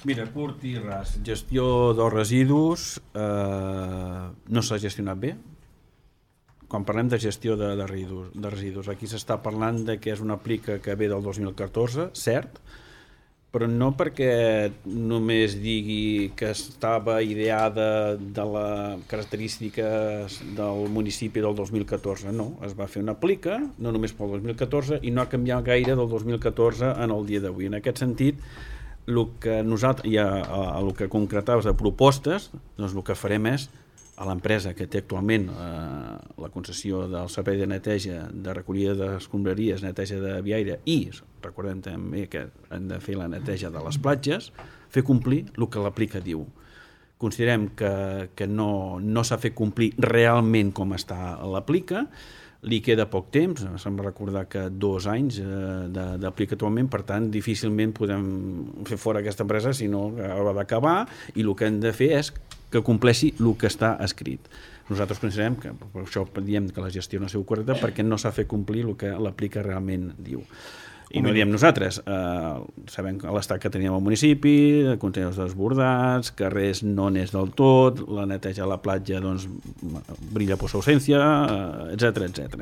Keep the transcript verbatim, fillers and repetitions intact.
Mira, curt i ras. Gestió dels residus eh, no s'ha gestionat bé. Quan parlem de gestió de, de, residus, de residus, aquí s'està parlant de que és una plica que ve del dos mil catorze, cert, però no perquè només digui que estava ideada de les característiques del municipi del dos mil catorze, no, es va fer una plica, no només pel dos mil catorze, i no ha canviat gaire del dos mil catorze en el dia d'avui. En aquest sentit, el que nosaltres, i a, a, a el que concretaves de propostes, doncs el que farem és a l'empresa que té actualment eh, la concessió del servei de neteja, de recollida d'escombraries, neteja de viaire i, recordem també que han de fer la neteja de les platges, fer complir el que l'aplica diu. Considerem que, que no, no s'ha fet complir realment com està l'aplica, li queda poc temps, se'm recordar que dos anys eh, d'aplica actualment, per tant difícilment podem fer fora aquesta empresa, sinó que haurà d'acabar, i el que hem de fer és que compleixi el que està escrit. Nosaltres considerem que, per això diem que la gestió no ha sigut correcta, perquè no s'ha fet complir el que l'aplica realment diu. I no diem nosaltres, eh, sabem que l'estat que teníem al municipi, contenidors desbordats, carrers no n'és del tot, la neteja a la platja doncs, brilla per sa ausència, etcètera, etcètera.